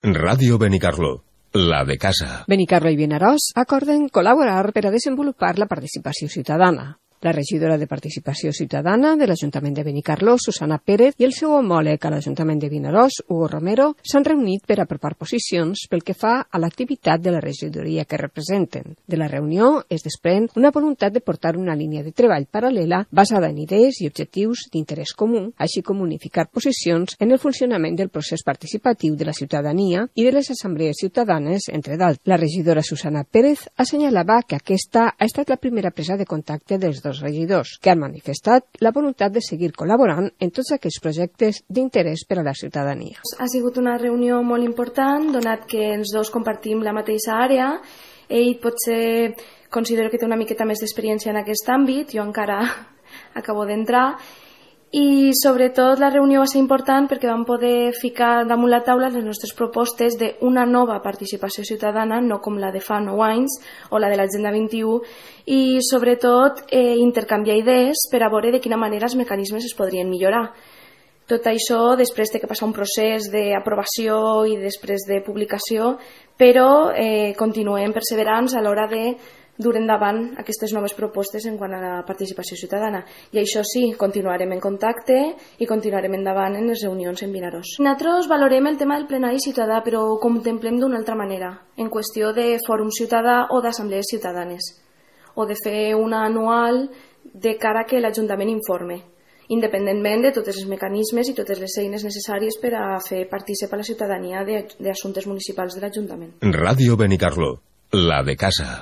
Ràdio Benicarló, la de casa. Benicarló i Vinaròs acorden col·laborar per a desenvolupar la participació ciutadana. La regidora de Participació Ciutadana de l'Ajuntament de Benicarló, Susana Pérez, i el seu homòleg a l'Ajuntament de Vinaròs, Hugo Romero, s'han reunit per apropar posicions pel que fa a l'activitat de la regidoria que representen. De la reunió es desprèn una voluntat de portar una línia de treball paral·lela basada en idees i objectius d'interès comú, així com unificar posicions en el funcionament del procés participatiu de la ciutadania i de les assemblees ciutadanes, entre d'altres. La regidora Susana Pérez assenyalava que aquesta ha estat la primera presa de contacte dels dos regidors, que han manifestat la voluntat de seguir col·laborant en tots aquells projectes d'interès per a la ciutadania. Ha sigut una reunió molt important, donat que els dos compartim la mateixa àrea. Ell potser considero que té una miqueta més d'experiència en aquest àmbit, jo encara acabo d'entrar, i sobretot la reunió va ser important perquè vam poder ficar damunt la taula les nostres propostes d'una nova participació ciutadana, no com la de fa 9 anys o la de l'Agenda 21, i sobretot intercanviar idees per a veure de quina manera els mecanismes es podrien millorar. Tot això després de que passa un procés d'aprovació i després de publicació, però continuem perseverants a l'hora de dur endavant aquestes noves propostes en quant a la participació ciutadana. I això sí, continuarem en contacte i continuarem endavant en les reunions en Vinaròs. Nosaltres valorem el tema del plenari ciutadà, però ho contemplem d'una altra manera, en qüestió de fòrum ciutadà o d'assemblees ciutadanes, o de fer una anual de cara que l'Ajuntament informe, independentment de tots els mecanismes i totes les eines necessàries per a fer participar la ciutadania d'assumptes municipals de l'Ajuntament. Ràdio Benicarló, la de casa.